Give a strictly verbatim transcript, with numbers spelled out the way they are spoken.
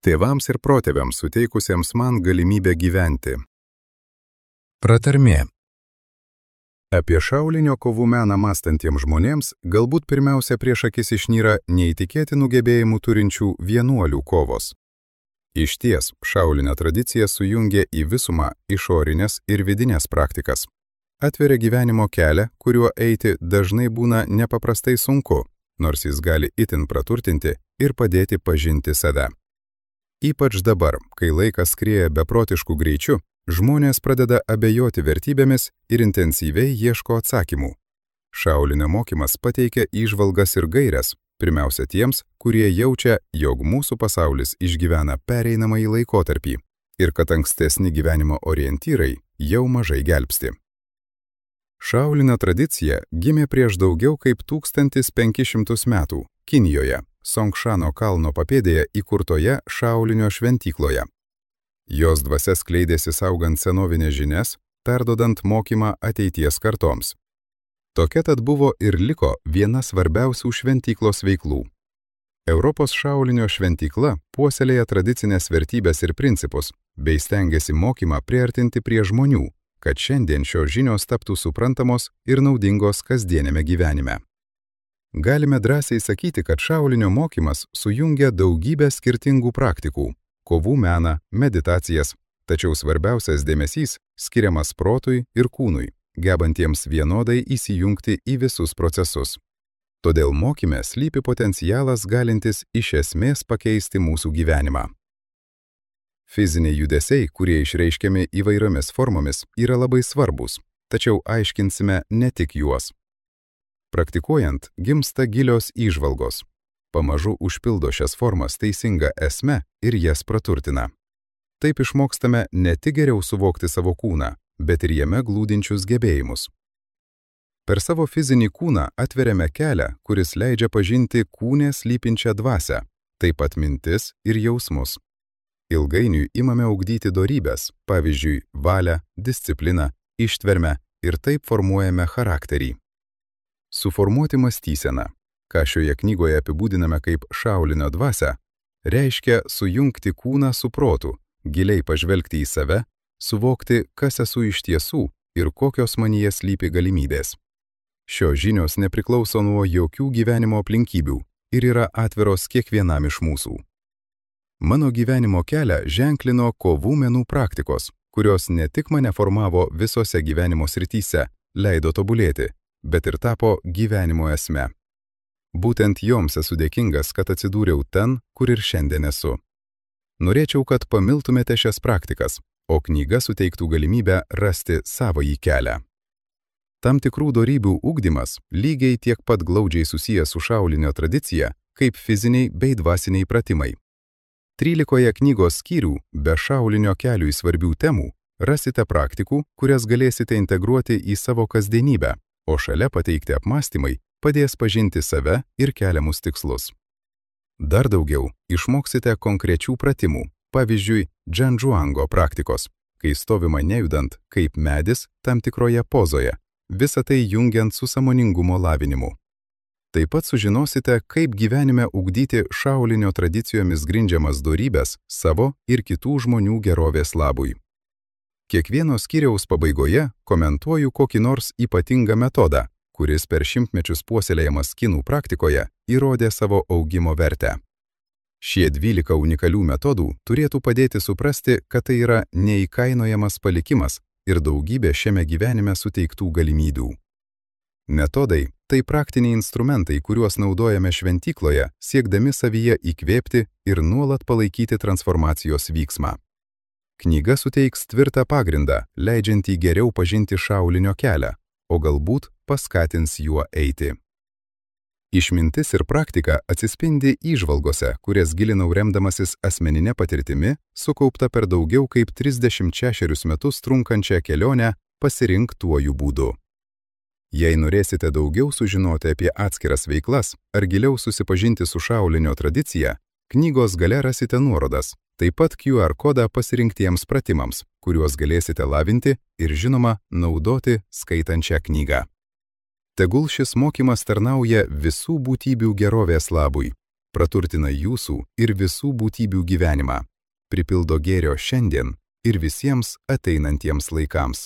tėvams ir protėviams suteikusiems man galimybę gyventi. Pratarmė. Apie šaulinio kovų meną mąstantiems žmonėms galbūt pirmiausia prieš akis išnyra neįtikėtinų gebėjimų turinčių vienuolių kovos. Išties, šaulinio tradicija sujungia į visumą išorinės ir vidinės praktikas. Atveria gyvenimo kelią, kuriuo eiti dažnai būna nepaprastai sunku, nors jis gali itin praturtinti ir padėti pažinti save. Ypač dabar, kai laikas skrieja beprotiškų greičių, žmonės pradeda abejoti vertybėmis ir intensyviai ieško atsakymų. Šaulinio mokymas pateikia įžvalgas ir gaires, pirmiausia tiems, kurie jaučia, jog mūsų pasaulis išgyvena pereinamąjį laikotarpį ir kad ankstesni gyvenimo orientyrai jau mažai gelbsti. Šaulinio tradicija gimė prieš daugiau kaip tūkstantis penkis šimtus metų Kinijoje, Songšano kalno papėdėje įkurtoje šaulinio šventykloje. Jos dvasia skleidėsi saugant senovinės žinias, perdodant mokymą ateities kartoms. Tokia tad buvo ir liko viena svarbiausių šventyklos veiklų. Europos šaulinio šventykla puoselėja tradicinės vertybės ir principus, bei stengiasi mokymą priartinti prie žmonių, kad šiandien šios žinios taptų suprantamos ir naudingos kasdieniame gyvenime. Galime drąsiai sakyti, kad šaulinio mokymas sujungia daugybę skirtingų praktikų, kovų meną, meditacijas, tačiau svarbiausias dėmesys skiriamas protui ir kūnui, gebantiems vienodai įsijungti į visus procesus. Todėl mokyme slypi potencialas galintis iš esmės pakeisti mūsų gyvenimą. Fiziniai judesiai, kurie išreiškiami įvairiomis formomis, yra labai svarbus, tačiau aiškinsime ne tik juos. Praktikuojant, gimsta gilios įžvalgos. Pamažu užpildo šias formas teisinga esme ir jas praturtina. Taip išmokstame ne tik geriau suvokti savo kūną, bet ir jame glūdinčius gebėjimus. Per savo fizinį kūną atveriame kelią, kuris leidžia pažinti kūne slypinčią dvasią, taip pat mintis ir jausmus. Ilgainiui imame ugdyti dorybes, pavyzdžiui, valią, discipliną, ištvermę ir taip formuojame charakterį. Suformuoti mąstyseną, ką šioje knygoje apibūdiname kaip šaulinio dvasią, reiškia sujungti kūną su protu, giliai pažvelgti į save, suvokti, kas esu iš tiesų ir kokios manyje slypi galimybės. Šios žinios nepriklauso nuo jokių gyvenimo aplinkybių ir yra atviros kiekvienam iš mūsų. Mano gyvenimo kelią ženklino kovų menų praktikos, kurios ne tik mane formavo visose gyvenimo srityse, leido tobulėti, bet ir tapo gyvenimo esme. Būtent joms esu dėkingas, kad atsidūriau ten, kur ir šiandien esu. Norėčiau, kad pamiltumėte šias praktikas, o knyga suteiktų galimybę rasti savąjį kelią. Tam tikrų dorybių ugdymas lygiai tiek pat glaudžiai susijęs su šaulinio tradicija, kaip fiziniai bei dvasiniai pratimai. Trylikoje knygos skyrių be šaulinio keliui svarbių temų rasite praktikų, kurias galėsite integruoti į savo kasdienybę, o šalia pateikti apmąstymai padės pažinti save ir keliamus tikslus. Dar daugiau išmoksite konkrečių pratimų, pavyzdžiui, džandžuango praktikos, kai stovima nejudant kaip medis tam tikroje pozoje, visą tai jungiant su sąmoningumo lavinimu. Taip pat sužinosite, kaip gyvenime ugdyti šaulinio tradicijomis grindžiamas dorybes savo ir kitų žmonių gerovės labui. Kiekvieno skyriaus pabaigoje komentuoju kokį nors ypatingą metodą, kuris per šimtmečius puoselėjamas kinų praktikoje įrodė savo augimo vertę. Šie dvylika unikalių metodų turėtų padėti suprasti, kad tai yra neįkainojamas palikimas ir daugybė šiame gyvenime suteiktų galimybių. Metodai – tai praktiniai instrumentai, kuriuos naudojame šventykloje, siekdami savyje įkvėpti ir nuolat palaikyti transformacijos vyksmą. Knyga suteiks tvirtą pagrindą, leidžiantį geriau pažinti šaulinio kelią, o galbūt paskatins juo eiti. Išmintis ir praktika atsispindi įžvalgose, kurias gilinau remdamasis asmeninė patirtimi, sukaupta per daugiau kaip trisdešimt šešerius metus trunkančią kelionę Pasirink tuoju būdu. Jei norėsite daugiau sužinoti apie atskiras veiklas ar giliau susipažinti su šaulinio tradicija, knygos gale rasite nuorodas, taip pat Q R kodą pasirinktiems pratimams, kuriuos galėsite lavinti ir, žinoma, naudoti skaitant šią knygą. Tegul šis mokymas tarnauja visų būtybių gerovės labui. praturtina jūsų ir visų būtybių gyvenimą, pripildo gėrio šiandien ir visiems ateinantiems laikams.